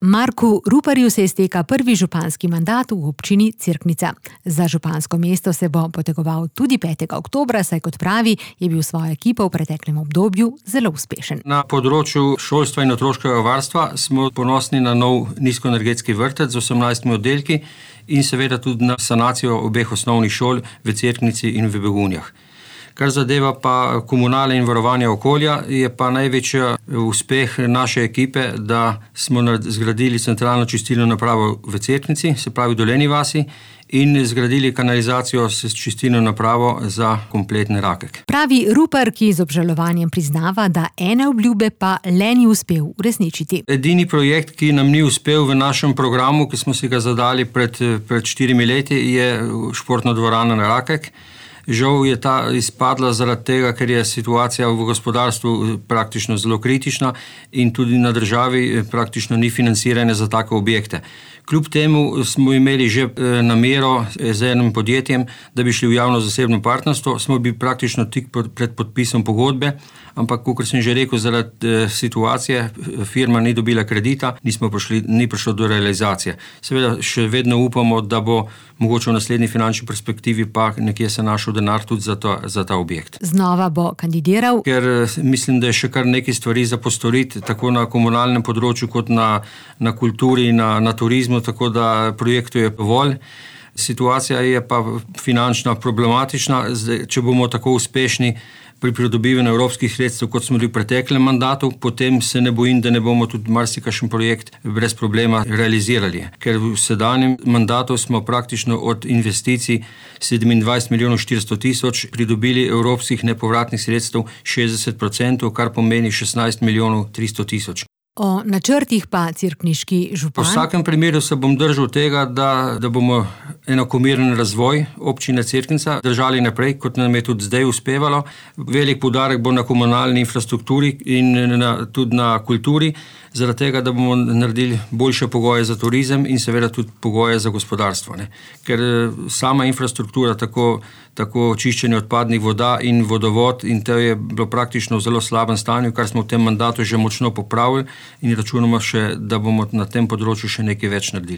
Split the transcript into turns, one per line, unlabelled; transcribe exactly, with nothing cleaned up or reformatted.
Marku Ruparju se izteka prvi županski mandat v občini Cerknica. Za župansko mesto se bo potegoval tudi petega oktobra, saj kot pravi, je bil svojo ekipo v preteklem obdobju zelo uspešen.
Na področju šolstva in otroškega varstva smo ponosni na nov nizkoenergetski vrtec z osemnajstimi oddelki in seveda tudi na sanacijo obeh osnovnih šol v Cerknici in v Begunjah. Kar zadeva pa komunale in varovanje okolja, je pa največji uspeh naše ekipe, da smo zgradili centralno čistilno napravo v Cerknici, se pravi Dolenji vasi, in zgradili kanalizacijo s čistilno napravo za kompletni Rakek.
Pravi Rupar, ki z obžalovanjem priznava, da ene obljube pa le ni uspel uresničiti.
Edini projekt, ki nam ni uspel v našem programu, ki smo si ga zadali pred, pred štirimi leti, je športna dvorana na Rakek. Žal je ta izpadla zaradi tega, ker je situacija v gospodarstvu praktično zelo kritična in tudi na državi praktično ni financiranja za take objekte. Kljub temu smo imeli že namero z enim podjetjem, da bi šli v javno-zasebno partnerstvo, smo bili praktično tik pred podpisom pogodbe, ampak, kot sem že rekel, zaradi situacije firma ni dobila kredita, nismo prišli, ni prišlo do realizacije. Seveda še vedno upamo, da bo mogoče v naslednji finančni perspektivi pa nekje se našel denar tudi za, to, za ta objekt.
Znova bo kandidiral?
Ker mislim, da je še kar nekaj stvari za postoriti, tako na komunalnem področju, kot na, na kulturi, na, na turizmu, tako da projektu je dovolj. Situacija je pa finančna problematična. Zdaj, če bomo tako uspešni pri pridobivanju evropskih sredstev, kot smo bili v preteklem mandatu, potem se ne bojim, da ne bomo tudi marsikakšen projekt brez problema realizirali. Ker v sedanjem mandatu smo praktično od investicij sedemindvajset milijonov štiristo tisoč pridobili evropskih nepovratnih sredstev šestdeset procentov, kar pomeni šestnajst milijonov tristo tisoč.
O načrtih pa cerkniški župan?
Po vsakem primeru se bom držal tega, da, da bomo enakomeren razvoj občine Cerknica držali naprej, kot nam je tudi zdaj uspevalo. Velik poudarek bo na komunalni infrastrukturi in na, tudi na kulturi, zaradi tega, da bomo naredili boljše pogoje za turizem in seveda tudi pogoje za gospodarstvo. Ne? Ker sama infrastruktura, tako, tako čiščenje odpadnih voda in vodovod, in to je bilo praktično v zelo slabem stanju, kar smo v tem mandatu že močno popravili in računamo še, da bomo na tem področju še nekaj več naredili.